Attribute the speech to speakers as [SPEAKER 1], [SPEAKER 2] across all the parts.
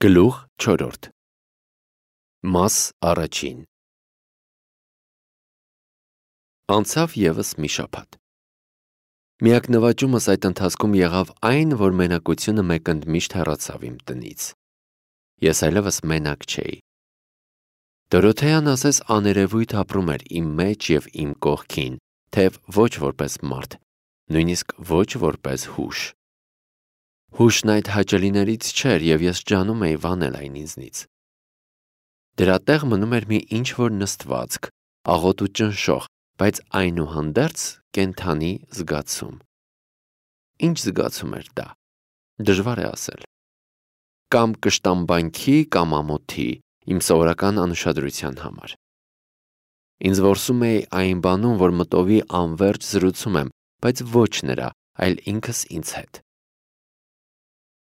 [SPEAKER 1] Գլուխ 4 Մաս առաջին Անցավ ևս մի շաբաթ։ Միակ նվաճումս այդ ընթացքում եղավ այն, որ մենակությունը մեկընդմիշտ հեռացավ իմ տնից։ Ես այլևս մենակ չէի։ Դորոթեան ասես աներևույթ ապրում էր իմ մեջ և իմ կողքին, թեև ոչ որպես մարդ, նույնիսկ ոչ որպես հուշ։ Հուշն այդ հաճելիներից չէր և ես ջանում էի վանել այն ինձնից։ Դրա տեղ մնում էր մի ինչ-որ նստվածք, աղոտ ու ճնշող, բայց այնուհանդերձ կենդանի զգացում։ Ինչ զգացում էր դա, դժվար է ասել։ Կամ կշտամբանքի, կամ ամոթի, իմ սովորական անուշադրության համար։ Ինձ որսում էի այն բանում, որ մտովի անվերջ զրուցում եմ, բայց ոչ նրա, այլ ինքս ինձ հետ։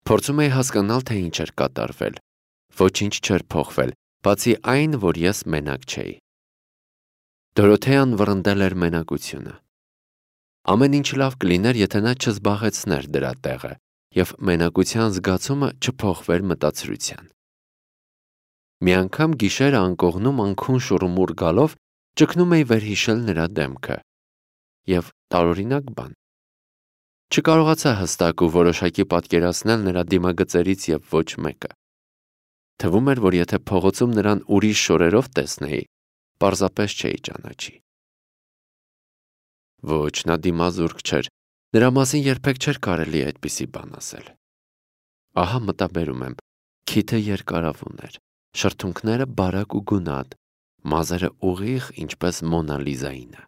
[SPEAKER 1] Փորձում էի հասկանալ, թե ինչ էր կատարվել։ Ոչինչ չէր փոխվել, բացի այն, որ ես մենակ չէի։ Դորոթեան վռնդել էր մենակությունը։ Ամեն ինչ լավ կլիներ, եթե նա չզբաղեցներ դրա տեղը, և մենակության զգացումը չփոխվեր մտածրության։ Մի անգամ գիշերը անկողնում անքուն շուռումուռ գալով ճգնում էի վերհիշել նրա դեմքը։ Եվ տարօրինակ բան։ Չկարողացա հստակ ու որոշակի պատկերացնել նրա դիմագծերից և ոչ մեկը։ Թվում էր, որ եթե փողոցում նրան ուրիշ շորերով տեսնեի, պարզապես չէի ճանաչի։ Ոչ, նա դիմազուրկ չէր, նրա մասին երբեք չէր կարելի այդպիսի բան ասել։ Ահա մտաբերում եմ, քիթը երկարավուն էր, շրթունքները բարակ ու գունատ, մազերը ուղիղ, ինչպես Մոնա Լիզայինը։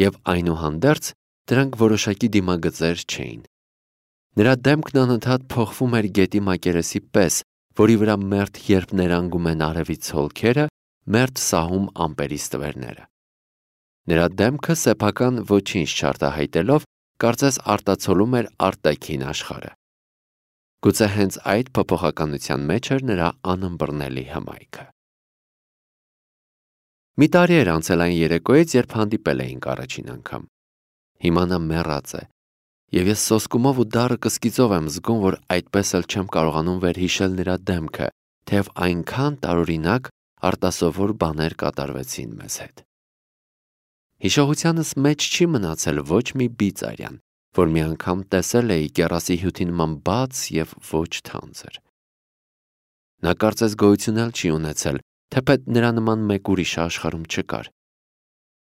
[SPEAKER 1] Եվ այնուհանդերձ դրանք որոշակի դիմագծեր չէին։ Նրա դեմքն անընդհատ փոխվում էր գետի մակերեսի պես, որի վրա մերթ երբ ներանգում են արևից հոլքերը, մերթ սահում ամպերի ստվերները։ Նրա դեմքը սեփական ոչինչ չարտահայտելով, կարծես արտացոլում էր արտաքին աշխարհը։ Գուցե հենց այդ փոփոխականության մեջ էր նրա անըմբռնելի հմայքը։ Մի տարի էր անցել այն երեկոյից, երբ հանդիպել էինք առաջին անգամ։ Հիմա նա մեռած է, և ես սոսկումով ու դառը կսկիծով եմ զգում, որ այդպես էլ չեմ կարողանում վերհիշել նրա դեմքը, թեև այնքան տարօրինակ, արտասովոր բաներ կատարվեցին մեզ հետ։ Հիշողությանս մեջ չի մնացել ոչ մի բիծ արյան, որ մի անգամ տեսել էի կեռասի հյութի նման բաց և ոչ թանձր։ Նա կարծես գոյություն էլ չի ունեցել, թեպետ նրա նման մեկ ուրիշը աշխարհում չկար։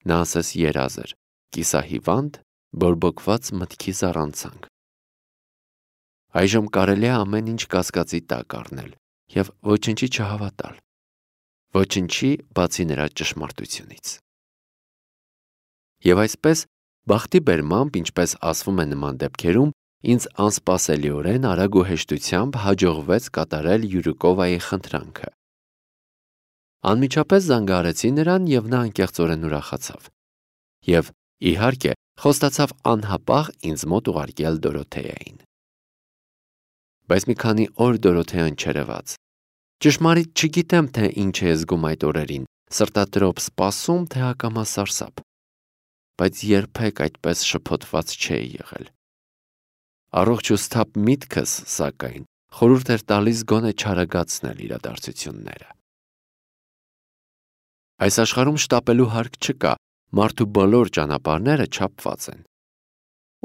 [SPEAKER 1] Նա ասես երազ էր, կիսահիվանդ, բորբոքված մտքի զառանցանք։ Այժմ կարելի է ամեն ինչ կասկածի տակ առնել և ոչնչի չհավատալ։ Ոչնչի, բացի նրա ճշմարտությունից։ Եվ այսպես, բախտի բերմամբ, ինչպես ասվում է նման դեպքերում, ինձ անսպասելիորեն արագ ու հեշտությամբ հաջողվեց կատարել Յուրիկովայի խնդրանքը։ Անմիջապես զանգահարեցի նրան, և նա անկեղծորեն ուրախացավ։ Եվ, իհարկե, խոստացավ անհապաղ ինձ մոտ ուղարկել Դորոթեային։ Բայց մի քանի օր Դորոթեան չերևաց։ Ճշմարիտ չգիտեմ, թե ինչ է զգում այդ օրերին, սրտատրոփ սպասում, թե ակամա սարսափ։ Բայց երբեք այդպես շփոթված չէի եղել։ Առողջ ու սթափ միտքս, սակայն, խորհուրդ էր տալիս գոնե չարագացնել իրադարձությունները։ Այս աշխարհում շտապելու հարկ չկա, մարդու բոլոր ճանապարհները չափված են։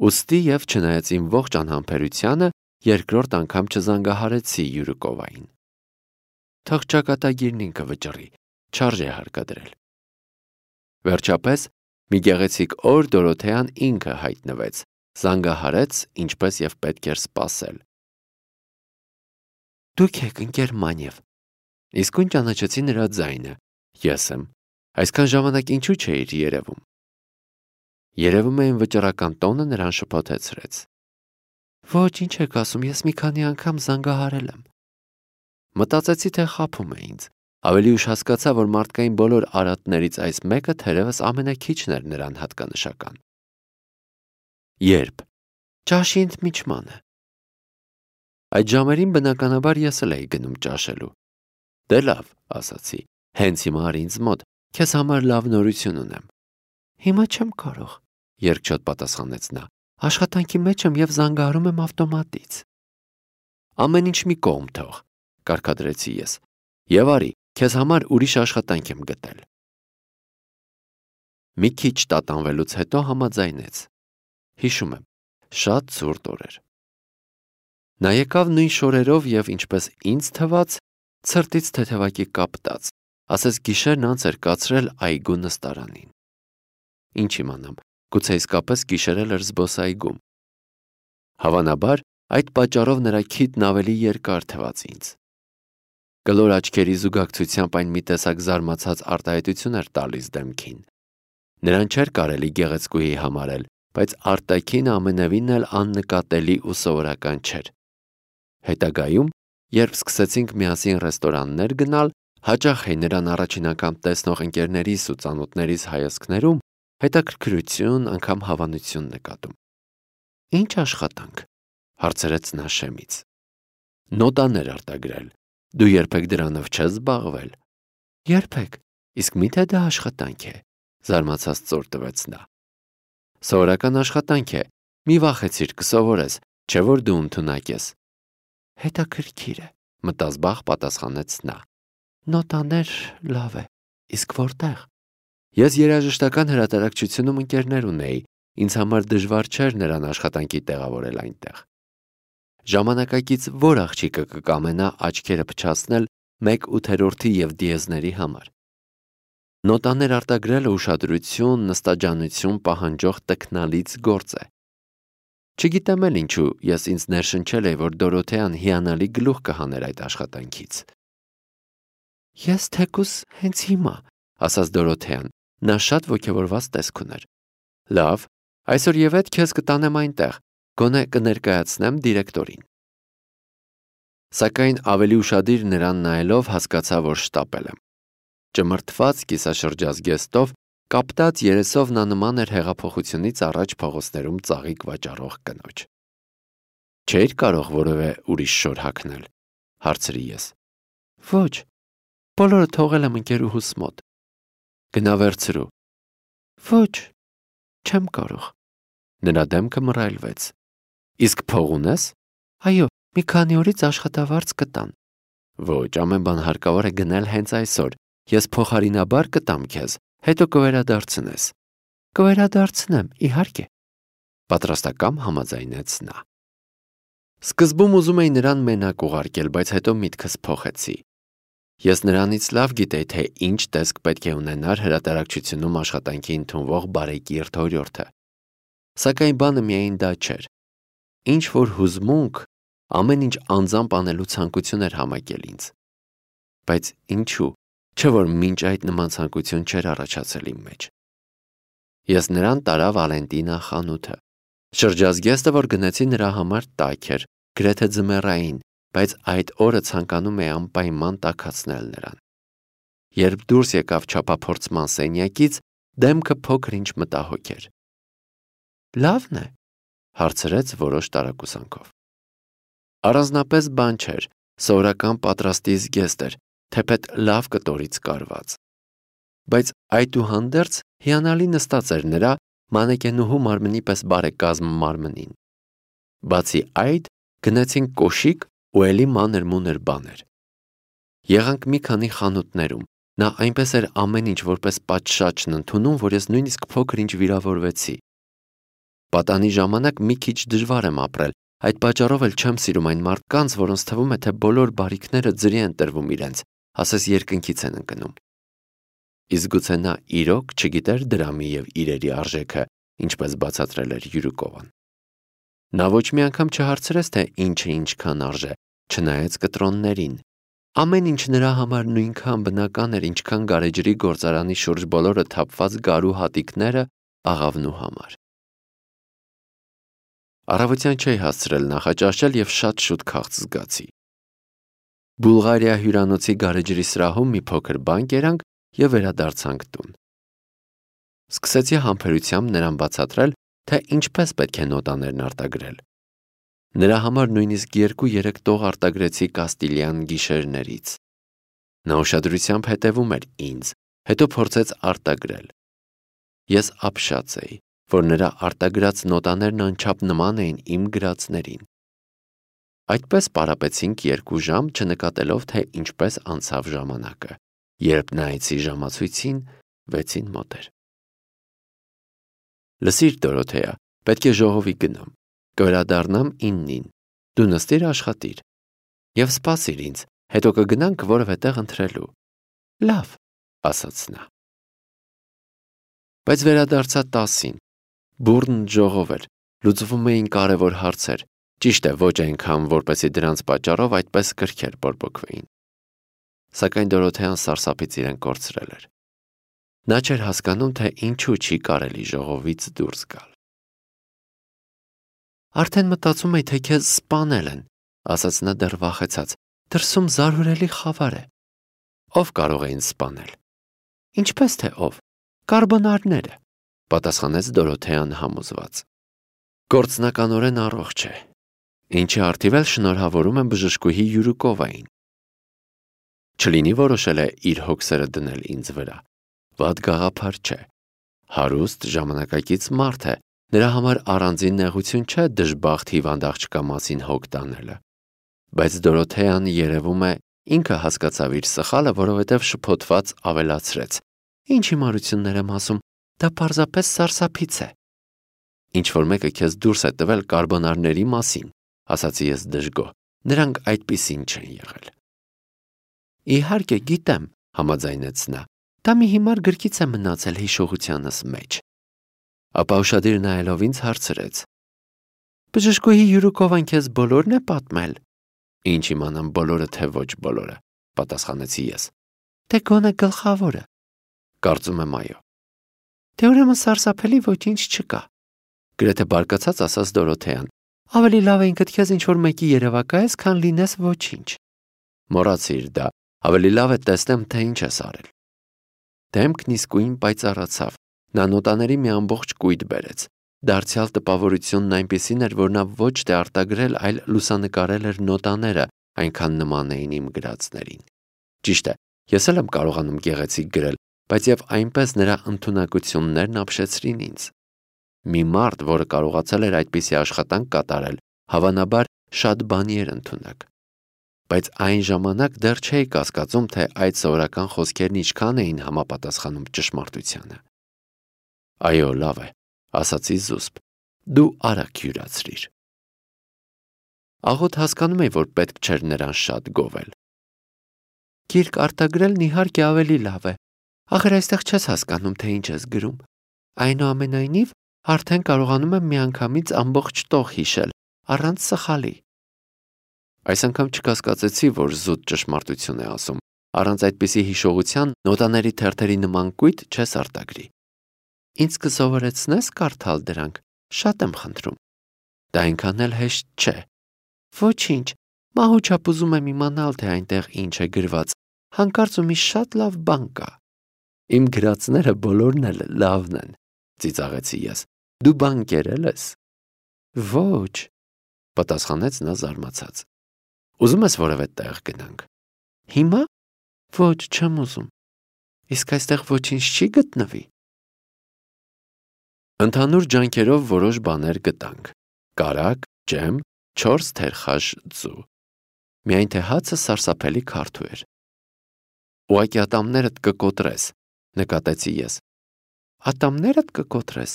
[SPEAKER 1] Ուստի և չնայած իմ ողջ անհամբերությանը, երկրորդ անգամ չզանգահարեցի Յուրիկովային։ Թող ճակատագիրն ինքը վճռի, չարժե հարկադրել։ Վերջապես, մի գեղեցիկ օր Դորոթեան ինքը հայտնվեց, զանգահարեց, ինչպես և պետք էր սպասել։ Դուք եք, ընկեր Մանև։ Իսկույն ճանաչեցի նրա ձայնը։ Ես եմ։ Այսքան ժամանակ ինչու չէիր երևում։ Երևում է իմ վճռական տոնը նրան շփոթեցրեց։ Ոչ, ինչ եք ասում, ես մի քանի անգամ զանգահարել եմ։ Մտածեցի, թե խաբում է ինձ։ Ավելի ուշ հասկացա, որ մարդկային բոլոր արատներից այս մեկը թերևս ամենաքիչն էր նրան հատկանշական։ Երբ։ Ճաշի ընդմիջմանը։ Այդ ժամերին բնականաբար ես էլ էի գնում ճաշելու։ Դե լավ, ասացի, հենց հիմա արի ինձ մոտ, քեզ համար լավ նորություն ունեմ։ Հիմա չեմ կարող, երկչոտ պատասխանեց նա, աշխատանքի մեջ եմ և զանգահարում եմ ավտոմատից։ Ամեն ինչ մի կողմ թող, կարգադրեցի ես, եւ արի, քեզ համար ուրիշ աշխատանք եմ գտել։ Մի քիչ տատանվելուց հետո համաձայնեց։ Հիշում եմ, շատ ցուրտ օր էր։ Նա եկավ նույն շորերով եւ ինչպես ինձ թվաց, ցրտից թեթևակի կապտած, ասես գիշերն անց էր կացրել այգու նստարանին։ Ինչ իմանամ, գուցե իսկապես գիշերել էր զբոսայգում։ Հավանաբար, այդ պատճառով նրա քիթն ավելի երկար թվաց ինձ։ Կլոր աչքերի զուգակցությամբ այն մի տեսակ զարմացած արտահայտություն էր տալիս դեմքին։ Նրան չէր կարելի գեղեցկուհի համարել, բայց արտաքինը ամենևին էլ աննկատելի ու սովորական չէր։ Հետագայում, երբ սկսեցինք միասին ռեստորաններ գնալ, հաճախ էի նրան առաջին անգամ տեսնող ընկերներիս ու ծանոթներիս հայացքներում հետաքրքրություն, անգամ հավանություն նկատում։ Ինչ աշխատանք, հարցրեց նա շեմից։ Նոտաներ արտագրել։ Դու երբեք դրանով չես զբաղվել։ Երբեք, իսկ միթե դա աշխատանք է, զարմացած ծոր տվեց նա։ Սովորական աշխատանք է, մի վախեցիր կսովորես, չէ որ դու ընդունակ ես։ Հետաքրքիր է, մտազբաղ պատասխանեց նա։ Նոտաներ լավ է, իսկ որտեղ։ Ես երաժշտական հրատարակչությունում ընկերներ ունեի, ինձ համար դժվար չէր նրան աշխատանքի տեղավորել այնտեղ։ Ժամանակակից որ աղջիկը կկամենա աչքերը փչացնել 1/8 եւ դիեզների համար։ Նոտաներ արտագրելը ուշադրություն, նստաճանություն պահանջող տքնալից գործ է։ Չգիտեմ էլ ինչու ես ինձ ներշնչել էի, որ Դորոթեան հիանալի գլուխ կհաներ այդ աշխատանքից։ Ես թեկուս հենց հիմա, ասաց Դորոթեան, նա շատ ոգևորված տեսք ուներ։ Լավ, այսօր եւ այդ քեզ կտանեմ այնտեղ, գոնե կներկայացնեմ դիրեկտորին։ Սակայն ավելի ուշադիր նրան նայելով հասկացա, որ շտապել եմ։ Ճմրթված կիսաշրջազգեստով, կապտած երեսով նա նման էր հեղափոխությունից առաջ փողոցներում ծաղիկ վաճառող կնոջ։ Չէիր կարող որևէ ուրիշ շոր հագնել, հարցրի ես։ Ոչ, բոլորը թողել եմ ընկերուհուս մոտ։ Գնա վերցրու։ Ոչ, չեմ կարող։ Նրա դեմքը մռայլվեց։ Իսկ փող ունես։ Այո, մի քանի օրից աշխատավարձ կտան։ Ոչ, ամեն բան հարկավոր է գնել հենց այսօր։ Ես փոխարինաբար կտամ քեզ, հետո կվերադարձնես։ Կվերադարձնեմ, իհարկե։ Պատրաստակամ համաձայնեց նա։ Սկզբում ուզում էի նրան մենակ ուղարկել, բայց հետո միտքս փոխեցի։ Ես նրանից լավ գիտեի, թե ինչ տեսք պետք է ունենար հրատարակչությունում աշխատանքի ընդունվող բարեկիրթ օրիորդը։ Սակայն բանը միայն դա չէր։ Ինչ որ հուզմունք, ամեն ինչ անձամբ անելու ցանկություն էր համակել ինձ։ Բայց ինչու, չէ որ մինչ այդ նման ցանկություն չէր առաջացել իմ մեջ։ Ես նրան տարա Վալենտինա խանութը։ Շրջազգեստը, որ գնեցի նրա համար տաք էր, գրեթե ձմեռային, բայց այդ օրը ցանկանում էի անպայման տաքացնել նրան։ Երբ դուրս եկավ չափափորձման սենյակից, դեմքը փոքր-ինչ մտահոգ էր։ Լավն է, հարցրեց որոշ տարակուսանքով։ Առանձնապես բան չէր, սովորական պատրաստի զգեստ էր, թեպետ լավ կտորից կարված։ Բայց այդուհանդերձ հիանալի նստած էր նրա մանեկենուհու մարմնի պես բարեկազմ մարմնին։ Բացի այդ, գնացինք կոշիկ ու էլի մանր-մունր բաներ։ Եղանք մի քանի խանութներում, նա այնպես էր ամեն ինչ որպես պատշաճն ընդունում, որ ես նույնիսկ փոքր-ինչ վիրավորվեցի։ Պատանի ժամանակ մի քիչ դժվար եմ ապրել, այդ պատճառով էլ չեմ սիրում այն մարդկանց, որոնց թվում է, թե բոլոր բարիքները ձրի են տրվում իրենց, ասես երկնքից են ընկնում։ Իսկ գուցե նա իրոք չգիտեր դրամի եւ իրերի արժեքը, ինչպես բացատրել էր Յուրուկովան։ Նա ոչ մի անգամ չհարցրեց, թե ինչը ինչքան արժե, չնայած կտրոններին։ Ամեն ինչ նրա համար նույնքան բնական էր, ինչքան գարեջրի գործարանի շուրջ բոլորը թափված գարու հատիկները աղավնու համար։ Առավոտյան չէի հասցրել նախաճաշել եւ շատ շուտ քաղց զգացի։ Բուլղարիա հյուրանոցի գարեջրի սրահում մի փոքր բան կերանք եւ վերադարձանք տուն։ Սկսեցի համբերությամբ նրան բացատրել, թե ինչպես պետք է նոտաներն արտագրել։ Նրա համար նույնիսկ 2-3 տող արտագրեցի Կաստիլյան գիշերներից։ Նա ուշադրությամբ հետևում էր ինձ, հետո փորձեց արտագրել։ Ես ապշած էի, որ նրա արտագրած նոտաներն անչափ նման էին իմ գրածներին։ Այդպես պարապեցինք 2 ժամ, չնկատելով, թե ինչպես անցավ ժամանակը։ Երբ նայեցի ժամացույցին, 6-ին մոտ էր։ Լսիր, Դորոթեա, պետք է ժողովի գնամ։ Կվերադառնամ 9-ին։ Դու նստիր աշխատիր։ Եվ սպասիր ինձ, հետո կգնանք որևէ տեղ ընթրելու։ Լավ, ասաց նա։ Բայց վերադարձա 10-ին։ Բուռն ժողով էր, լուծվում էին կարևոր հարցեր, ճիշտ է, ոչ այնքան, որպեսզի դրանց պատճառով այդպես կրքեր բորբոքվեին։ Սակայն Դորոթեան սարսափից իրեն կորցրել էր։ Նա չէր հասկանում, թե ինչու չի կարելի ժողովից դուրս գալ։ Արդեն մտածում էի, թե քեզ սպանել են, ասաց նա դեռ վախեցած։ Դրսում զարհուրելի խավար է։ Ով կարող է ինձ սպանել։ Ինչպես թե ով։ Կարբոնարները, պատասխանեց Դորոթեան համոզված։ Գործնականորեն առողջ է։ Ինչի արդիվ էլ շնորհավորում եմ բժշկուհի Յուրուկովային։ Չլինի որոշել է իր հոգսերը դնել ինձ վրա։ Վատ գաղափար չէ։ Հարուստ ժամանակակից մարդ է, նրա համար առանձին նեղություն չէ դժբախտ հիվանդ աղջկա մասին հոգ տանելը։ Բայց Դորոթեան երևում է ինքը հասկացավ իր սխալը, որովհետև շփոթված ավելացրեց. Ինչ հիմարություններ եմ ասում, դա պարզապես սարսափից է։ Ինչ-որ մեկը քեզ դուրս է տվել կարբոնարների մասին, ասացի ես դժգոհ, նրանք այդպիսին չեն եղել։ Իհարկե գիտեմ, համաձայնեց նա, դա մի հիմար գրքից է մնացել հիշողությանս մեջ։ Ապա ուշադիր նայելով ինձ հարցրեց. Բժշկուհի Յուրուկովան քեզ բոլորն է պատմել։ Ինչ իմանամ բոլորը, թե ոչ բոլորը, պատասխանեցի ես։ Թե գոնե գլխավորը։ Կարծում եմ այո։ Դե ուրեմն սարսափելի ոչինչ չկա։ Գրեթե բարկացած ասաց Դորոթեան։ Ավելի լավ է ինքդ քեզ ինչ-որ մեկի երևակայես, քան լինես ոչինչ։ Մոռացիր դա, ավելի լավ է տեսնեմ, թե ինչ ես արել։ Դեմքն իսկույն պայծառացավ։ Նա նոտաների մի ամբողջ կույտ բերեց։ Դարձյալ տպավորությունն այնպիսին էր, որ նա ոչ թե արտագրել, այլ լուսանկարել էր նոտաները, այնքան նման էին իմ գրածներին։ Ճիշտ է, ես էլ եմ կարողանում գեղեցիկ գրել, բայց եւ այնպես նրա ընդունակություններն ապշեցրին ինձ։ Մի մարդ, որը կարողացել էր այդպիսի աշխատանք կատարել, հավանաբար շատ բանի էր ընդունակ։ Բայց այն ժամանակ դեռ չէի կասկածում, թե այդ սովորական խոսքերն ինչքան էին համապատասխանում ճշմարտությանը։ Այո, լավ է, ասացի զուսպ, դու արագ յուրացրիր։ Աղոտ հասկանում էի, որ պետք չէր նրան շատ գովել։ Գիրք արտագրելն իհարկե ավելի լավ է։ Ախր այստեղ չես հասկանում, թե ինչ ես գրում։ Այնուամենայնիվ, արդեն կարողանում եմ միանգամից ամբողջ տող հիշել, առանց սխալի։ Այս անգամ չկասկածեցի, որ զուտ ճշմարտություն է ասում։ Առանց այդպիսի հիշողության նոտաների թերթերի նման կույտ չես արտագրի։ Ինձ կսովորեցնես կարդալ դրանք, շատ եմ խնդրում։ Դա այնքան էլ հեշտ չէ։ Ոչինչ, մահուչապ ուզում եմ իմանալ, թե այնտեղ ինչ է գրված, հանկարծ ու մի շատ լավ բան կա։ Իմ գրածները բոլորն էլ լավն են, ծիծաղեցի ես։ Դու բան կերել ես։ Ոչ, պատասխանեց նա զարմացած։ Ուզում ես որևէ տեղ գնանք։ Հիմա։ Ոչ, չեմ ուզում։ Իսկ այստեղ ոչինչ չի գտնվի։ Ընդհանուր ջանքերով որոշ բաներ գտանք։ Կարագ, ջեմ, 4 թերխաշ ձու։ Միայն թե հացը սարսափելի քարթու էր։ Ուղղակի ատամներդ կկոտրես, նկատեցի ես։ Ատամներդ կկոտրես,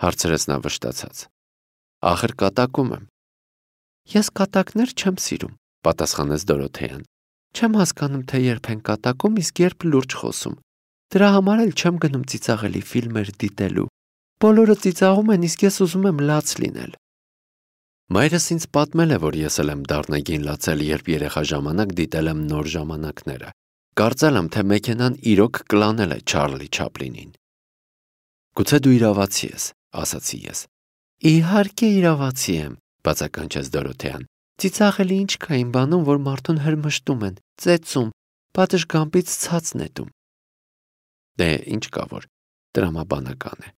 [SPEAKER 1] հարցրեց նա վշտացած։ Ախր կատակում եմ։ Ես կատակներ չեմ սիրում, պատասխանեց Դորոթեան։ Չեմ հասկանում, թե երբ են կատակում, իսկ երբ լուրջ խոսում։ Դրա համար էլ չեմ գնում ծիծաղելի ֆիլմեր դիտելու։ Բոլորը ծիծաղում են, իսկ ես ուզում եմ լաց լինել։ Մայրս ինձ պատմել է, որ ես էլ եմ դառնագին լացել, երբ երեխա ժամանակ դիտել եմ Նոր ժամանակները։ Կարծել եմ, թե մեքենան իրոք կլանել է Չարլի Չապլինին։ Գուցե դու իրավացի ես, ասացի ես։ Իհարկե իրավացի եմ, բացականչեց Դորոթեան։ Ծիծաղելի ինչ կա իմ բանում, որ մարդուն հրմշտում են, ծեծում, պատշգամբից ցած նետում։ Դե ինչ կա որ, տրամաբանական է։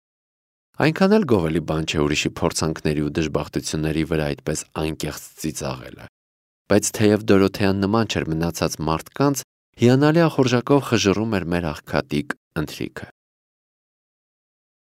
[SPEAKER 1] Այնքան էլ գովելի բան չէ ուրիշի փորձանքների ու դժբախտությունների վրա այդպես անկեղծ ծիծաղելը։ Բայց թեև Դորոթեան նման չէր մնացած մարդկանց, հիանալի ախորժակով խժռում էր մեր աղքատիկ ընթրիքը։